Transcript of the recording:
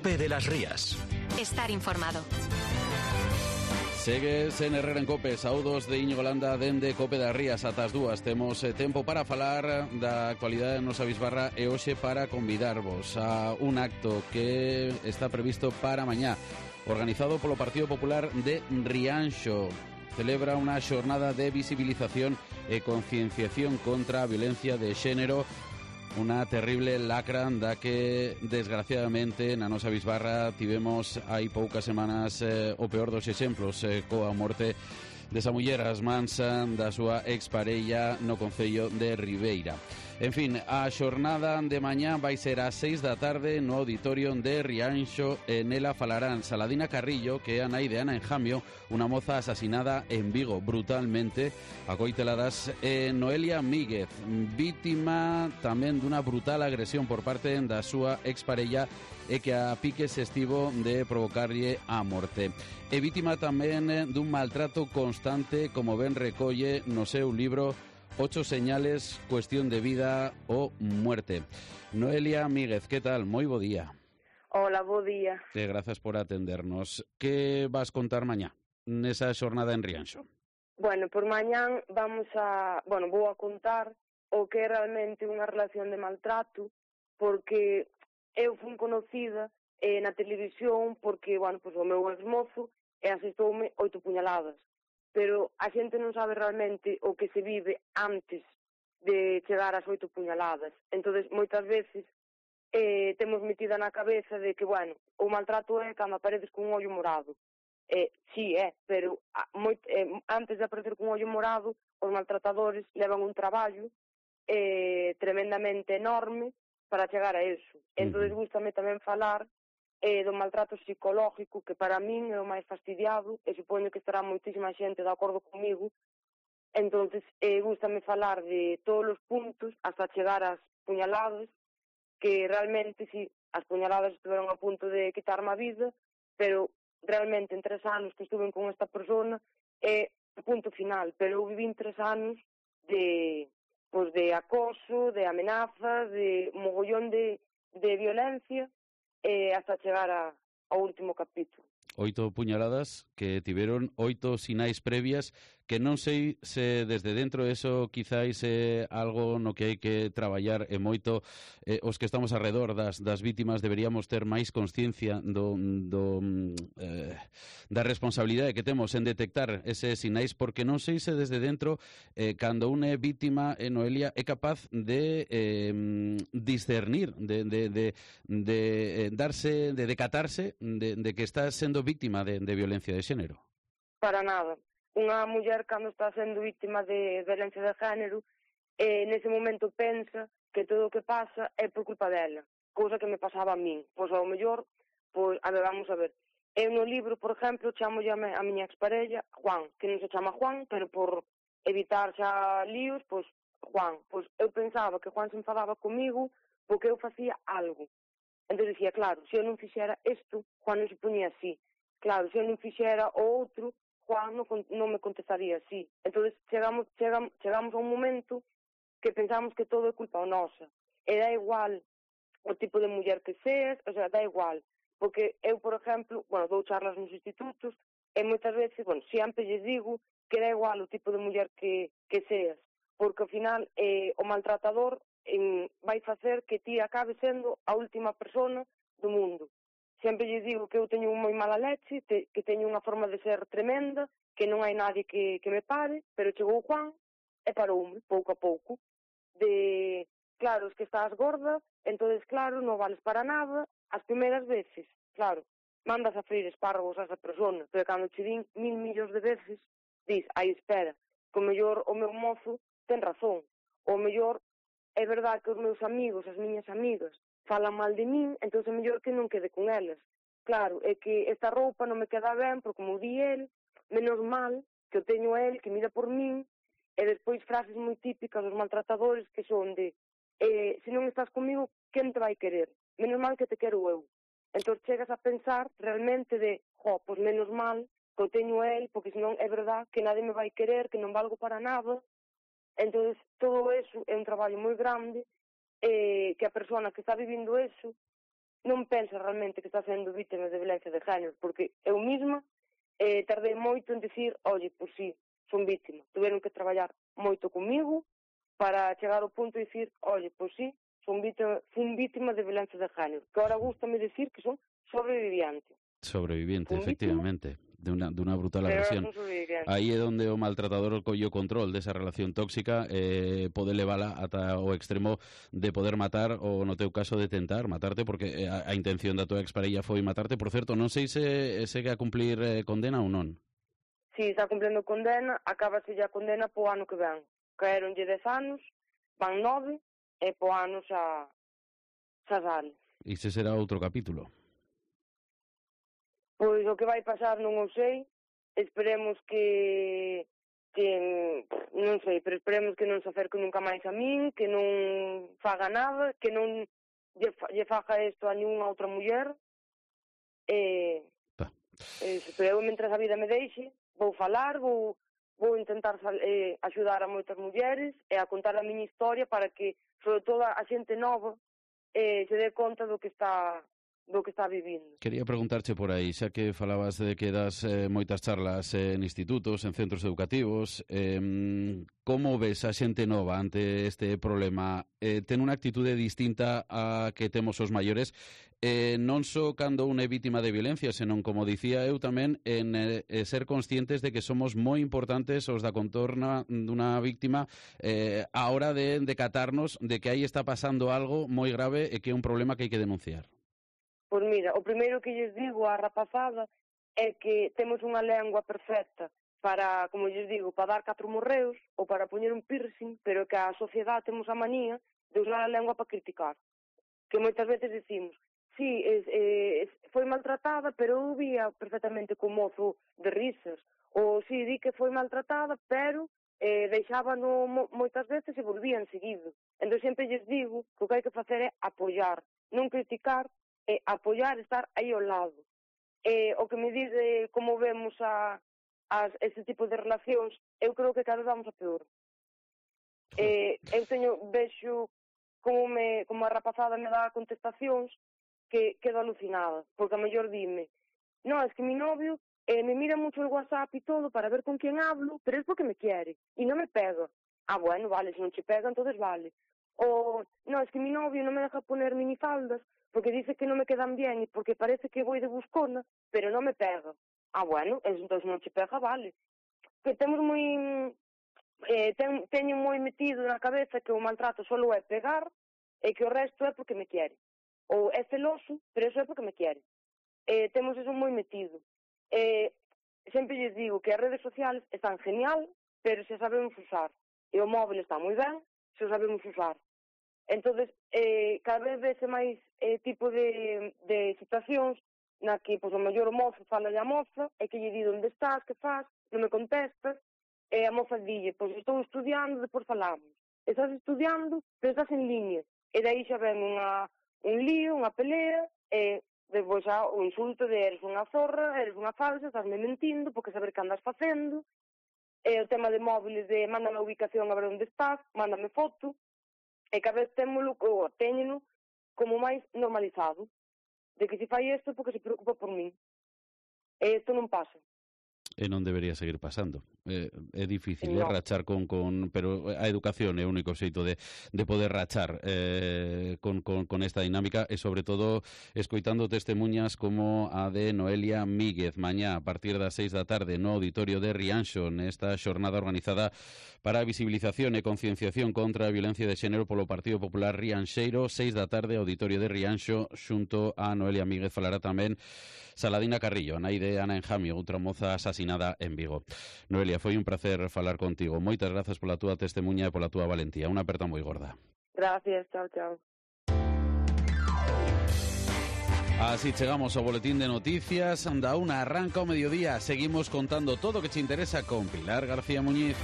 COPE de las Rías. Estar informado. Segues en Herrera en COPE, saúdos de Íñigo Landa dende COPE das Rías ata as 2. Temos tempo para falar da actualidade da nosa bisbarra e hoxe para convidarvos a un acto que está previsto para mañá, organizado polo Partido Popular de Rianxo. Celebra unha xornada de visibilización e concienciación contra a violencia de xénero, unha terrible lacra da que, desgraciadamente, na nosa bisbarra tivemos hai poucas semanas o peor dos exemplos, coa morte desa muller ás mans da súa exparella no concello de Ribeira. En fin, a xornada de mañá vai ser ás 6 da tarde no auditorio de Rianxo e nela falarán Saladina Carrillo, que é a nai de Ana Enjamio, unha moza asasinada en Vigo brutalmente a coiteladas, e Noelia Míguez, vítima tamén dunha brutal agresión por parte da súa exparella e que a piques estivo de provocarlle a morte. E vítima tamén dun maltrato constante, como ben recolle no seu libro 8 señales, cuestión de vida o muerte. Noelia Míguez, que tal? Moi bo día. Hola, bo día. E grazas por atendernos. Que vas contar mañá nesa xornada en Rianxo? Bueno, por mañán vou a contar o que é realmente unha relación de maltrato, porque eu fui conocida na televisión porque, o meu exmozo asestoume 8 puñaladas. Pero a xente non sabe realmente o que se vive antes de chegar ás 8 puñaladas. Entón, moitas veces temos metida na cabeza de que, o maltrato é cando apareces con un ollo morado. Sí, pero antes de aparecer con un ollo morado, os maltratadores levan un traballo tremendamente enorme para chegar a eso. Entón, gústame tamén falar do maltrato psicológico, que para min é o máis fastidiado, e supoño que estará moitísima xente de acordo comigo. Entonces, gústame falar de todos os puntos hasta chegar ás puñaladas, que realmente, sí, as puñaladas estiveron a punto de quitarme a vida, pero realmente en 3 anos que estuve con esta persona é o punto final, pero eu viví 3 anos de acoso, de amenazas, de mogollón de violencia, hasta chegar ao último capítulo. 8 puñaladas que tiveron 8 sinais previas, que non sei se desde dentro eso quizáis é algo no que hai que traballar e moito. Os que estamos alrededor das vítimas deberíamos ter máis consciencia da responsabilidade que temos en detectar eses sinais, porque non sei se desde dentro, cando unha é vítima, Noelia, é capaz de discernir, de decatarse de que está sendo vítima de violencia de xénero. Para nada. Unha muller, cando está sendo vítima de violencia de género, nese momento pensa que todo o que pasa é por culpa dela, cousa que me pasaba a min. Pois ao mellor, vamos a ver. Eu no libro, por exemplo, chamolle a miña exparella Juan, que non se chama Juan, pero por evitar xa líos, Juan. Eu pensaba que Juan se enfadaba comigo porque eu facía algo. Entón dicía, claro, se eu non fixera isto, Juan non se ponía así. Claro, se eu non fixera o outro, Juan non me contestaría así. Entón chegamos a un momento que pensamos que todo é culpa nosa. E dá igual o tipo de muller que seas, dá igual. Porque eu, por exemplo, dou charlas nos institutos e moitas veces, sempre lles digo que dá igual o tipo de muller que seas. Porque ao final o maltratador vai facer que ti acabe sendo a última persona do mundo. Sempre lles digo que eu teño moi mala leche, que teño unha forma de ser tremenda, que non hai nadie que me pare, pero chegou Juan e paroume, pouco a pouco. Claro, es que estás gorda, entonces claro, non vales para nada. As primeiras veces, claro, mandas a freír espárragos a esa persona, pero cando che din 1000 millóns de veces, dis, espera, que o mellor o meu mozo ten razón. O mellor é verdad que os meus amigos, as miñas amigas, falan mal de min, entón é mellor que non quede con elas. Claro, é que esta roupa non me queda ben, porque como di el, menos mal que o teño a el, que mira por min, e despois frases moi típicas dos maltratadores que son de se non estás comigo, quen te vai querer? Menos mal que te quero eu. Entón chegas a pensar realmente de, pois menos mal que o teño a el, porque senón é verdad que nadie me vai querer, que non valgo para nada. Entón todo eso é un traballo moi grande, que a persona que está vivindo eso non pensa realmente que está sendo vítima de violencia de género, porque eu mesma tardei moito en dicir, oye, pois sí, son vítima. Tuveron que traballar moito comigo para chegar ao punto de dicir, oye, pois sí, fun vítima de violencia de género, que ahora gústame decir que son sobreviviente. Sobreviviente, efectivamente, de una brutal agresión. Aí é onde o maltratador collo control desa relación tóxica, pode levala ata o extremo de poder matar, ou no teu caso de tentar matarte, porque a intención da tua exparella foi matarte. Por certo, non sei se segue a cumplir condena ou non. Si, está cumplindo condena, acábase a condena po ano que ven. Caeronlle 10 anos, van 9, e po ano xa sale. E se será outro capítulo? Pois o que vai pasar non o sei, esperemos que non sei, pero esperemos que non se acerque nunca máis a min, que non faga nada, que non lle faga isto a ninguna outra muller, pero eu, mentre a vida me deixe, vou falar, vou intentar axudar a moitas mulleres e a contar a miña historia para que, sobre todo, a xente nova se dé conta do que está vivindo. Quería preguntarche por aí, xa que falabas de que das moitas charlas en institutos, en centros educativos, como ves a xente nova ante este problema? Ten unha actitude distinta a que temos os maiores, non só cando unha é vítima de violencia, senón, como dicía eu tamén, en ser conscientes de que somos moi importantes os da contorna dunha víctima a hora de decatarnos de que aí está pasando algo moi grave e que é un problema que hai que denunciar. Pois mira, o primeiro que lles digo á rapazada é que temos unha lengua perfecta para, como lles digo, para dar 4 morreos ou para poñer un piercing, pero que a sociedade temos a manía de usar a lengua para criticar. Que moitas veces decimos, sí, foi maltratada, pero eu vía perfectamente co mozo de risas. Ou sí, di que foi maltratada, pero deixábano moitas veces e volvían seguido. Entón sempre lles digo que o que hai que facer é apoiar, non criticar, apoiar, estar aí ao lado. O que me dice como vemos ese tipo de relacións, eu creo que cada vez vamos a peor. Eu vexo como a rapazada me dá contestacións que quedo alucinada, porque a mellor dime, no, es que mi novio me mira mucho el WhatsApp y todo para ver con quién hablo, pero es porque me quiere y no me pega. Ah, bueno, vale, si non che pega, entonces vale. O, no, es que mi novio no me deja poner minifaldas porque dice que non me quedan bien e porque parece que vou de buscona, pero non me pega. Ah, bueno, entón non che pega, vale. Que temos teño moi metido na cabeza que o maltrato solo é pegar e que o resto é porque me quere. Ou é celoso, pero eso é porque me quere. Temos eso moi metido. Sempre lles digo que as redes sociales están genial, pero se sabemos usar. E o móvil está moi ben, se o sabemos usar. Entonces, cada vez vese máis tipo de situacións na que, pois, o mellor o mozo fala a moza e que lle di onde estás, que faz, non me contestas, e a moza dille, pois estou estudiando, depois falamos. Estás estudiando, pero estás en línea. E daí xa ven un lío, unha pelea, e depois xa o insulto de eres unha zorra, eres unha falsa, estás me mentindo, porque saber que andas facendo. E o tema de móviles de mándame a ubicación a ver onde estás, mándame foto. E cada vez téñeno como máis normalizado, de que se fai isto porque se preocupa por min. E isto non pasa. E non debería seguir pasando. É difícil rachar pero a educación é o único xeito de poder rachar con esta dinámica e, sobre todo, escoitando testemunhas como a de Noelia Míguez mañá a partir das 6 da tarde no auditorio de Rianxo, nesta xornada organizada para a visibilización e concienciación contra a violencia de xénero polo Partido Popular Rianxeiro. 6 da tarde, auditorio de Rianxo, xunto a Noelia Míguez falará tamén Saladina Carrillo, nai de Ana Enjamio, outra moza asasinada en Vigo. Noelia, foi un placer falar contigo. Moitas grazas pola túa testemunha e pola túa valentía. Unha aperta moi gorda. Gracias, chao, chao. Así chegamos ao boletín de noticias. Da 1 arranca o mediodía. Seguimos contando todo o que te interesa con Pilar García Muñiz.